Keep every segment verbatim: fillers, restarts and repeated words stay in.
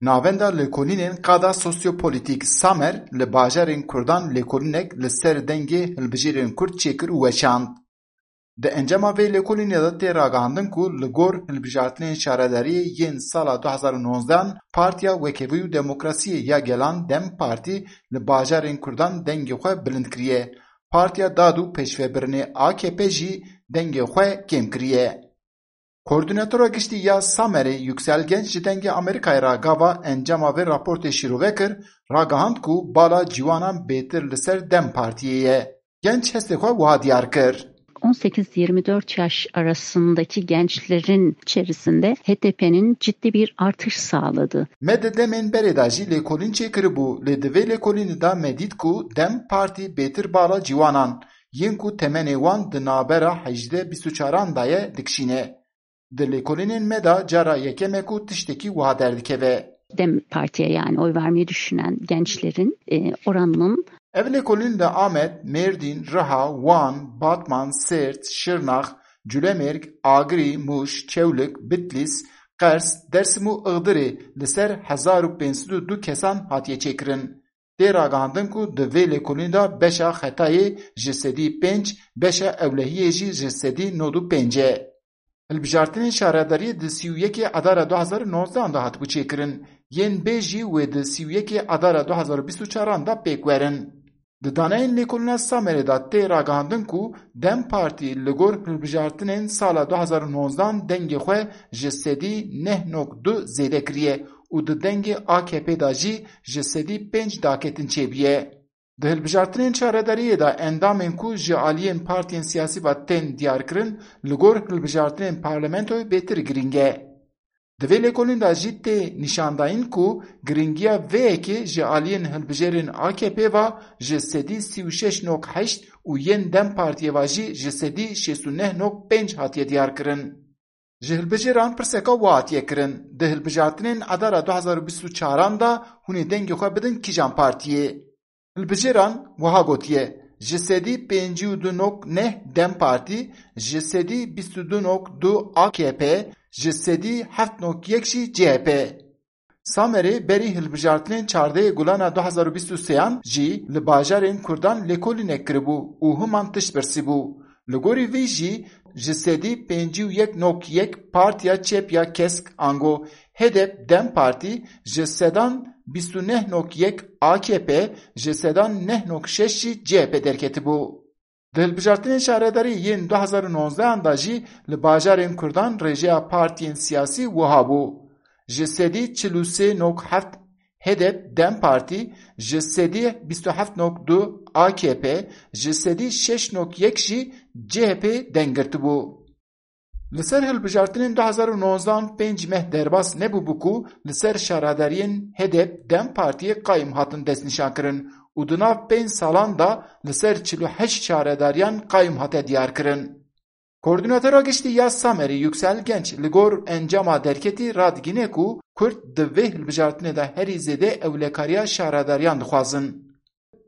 Navenda lêkolînên qada sosyopolitîk Samer li bajarên Kurdan lêkolînek li ser dengê hilbijêrên Kurd çêkir û weşand. Di encama vê lêkolînê de tê ragihandin ku li gor hilbijartinên şaredariyê yên sala du hazar û nozdehan Partiya Wekevî û Demokrasiyê ya Gelan DEM Partî li bajarên Kurdan dengê xwe bilind kiriye. Partiya Dad û Pêşvebirinê A K P jî dengê xwe kêm kiriye. Koordînatora Giştî ya Samerê Yüksel Genç ji Dengê Amerîkayê re gava encama vê raportê şîrove kir, ragihand ku bala ciwanan bêtir li ser DEM Partiyê ye. Genç hestê xwe wiha diyar kir. on sekiz yirmi dört yaş arasındaki gençlerin içerisinde H D P'nin ciddi bir artış sağladı. Me di demên berê de jî lêkolîn çêkiribû, lê di vê lêkolînê de me dît ku DEM Partî bêtir bala ciwanan, yên ku temenê wan di navbera hejdeh bîst û çaran de ye, dikişîne. Di lêkolînên me de cara yekeme ku tiştekî wiha derdikeve. DEM Parti'ye yani oy vermeyi düşünen gençlerin e, oranının Ev lêkolîn li Amed, Mêrdîn, Riha, Wan, Batman, Sêrt, Şirnax, Culemêrg, Agirî, Mûş, Çewlik, Bitlîs, Qers, Dersim û Igdirê li ser hezar û pênc sed û du kesan hatiye çêkirin. Tê ragihandin ku di vê lêkolînê de beşa xetayê ji sedî pênc, beşa ewlehiyê jî ji sedî nod û pênc e. Hilbijartinên şaredariyê di sî û yekê Adara du hazar û nozdehan de hatibû çêkirin, yên bê jî wê di sî û yekê Adara du hazar û bîst û çaran de pêk werin. Di daneyên lêkolîna Samerê de tê ragihandin ku DEM Partî li gor hilbijartinên sala du hazar û nozdehan dengê xwe ji sedî neh nok du zêde kiriye û di dengê A K P de jî ji sedî pênc daketin çêbûye. Di hilbijartinên şaredariyê de endamên ku ji aliyên partiyên siyasî ve tên diyarkirin, li gor hilbijartinên parlamentoyê bêtir girîng e. Di vê lêkolîn de jî tê nîşandayîn ku girîngiya vê yekê ji aliyên hilbijêrên A K P ve ji sedî sî û şeş nok heşt û yên DEM Partiyê ve jî ji sedî şêst û neh nok pênc hatiye diyarkirin. Ji hilbijêran pirseka wiha hatiye kirin, di hilbijartinên Adara du hazar û bîst û çaran de hûn ê dengê xwe bidin kîjan partiyê? Hilbijêran wiha gotiye, ji sedî pêncî û du nok neh DEM Partî, ji sedî bîst û du nok du A K P, ji sedî heft nok yek jî C H P. Samerê berî hilbijartinên çardehê Gulana du hazar û bîst û sêyan jî li bajarên Kurdan lêkolînek kiribû û himan tişt birsîbû. Li gorî vî jî ji sedî pêncî û yek nok yek Partiya Çep ya Kesk ango H D P DEM Partî ji sedan bîst û neh nok yek A K P ji sedan neh nok şeş jî C H P derketibû. Di hilbijartinên şaredarî yên du hazar û nozdehan de jî li bajarên Kurdan rêjeya partiyên siyasî wiha bû. Ji sedî çil û sê nok heft H D P DEM Partî, ji sedî bîst û heft nok du A K P, ji sedî şeş nok yek jî C H P deng girtibû. Li ser hilbijartinên du hazar û nozdehan pênc meh derbas nebûbû ku li ser şaredariyên H D P DEM Partiyê qayim hatin destnîşankirin û di nav pênc salan de li ser çil û heşt şaredariyan qayim hate diyarkirin. Koordînatora Giştî ya Samerî Yüksel Genç li gor encama derketî radigîne ku Kurd di vê hilbijartinê de herî zêde ewlekariya şaredariyan dixwazin.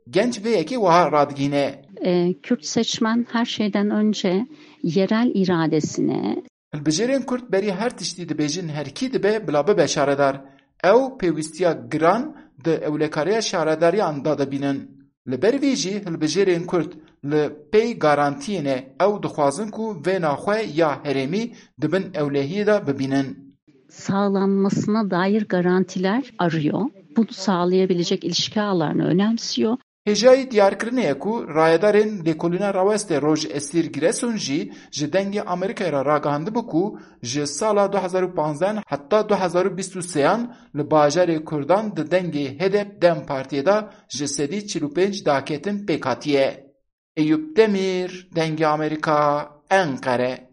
Genç vê yekê wiha radigîne. E, Kürt seçmen her şeyden önce yerel iradesine, Hilbijêrên Kurd berî her tiştî dibêjin her kî dibe bila bibe şaredar. Ew pêwîstiya giran di ewlekariya şaredariyan de dibînin. Li ber vî jî hilbijêrên Kurd li pey garantiyê ne, ew dixwazin ku vêna xwe ya herêmî di bin ewlehiyê de bibînin. Sağlanmasına dair garantiler arıyor. Bunu sağlayabilecek ilişki ağlarını önemsiyor. Hêjayî diyarkirinê ye ku rayedarên lêkolîna rawestê Roj Esîr Giresun jî ji Dengê Amerîkayê re ragihandibû ku ji sala du hazar û panzdeh heta du hazar û bîst û sêyan li bajarê Kurdan di dengê H D P DEM Partiyê de ji sedî çil û pênc daketin pêk hatiye. Eyûp Demîr, Dengê Amerîka, Enqere.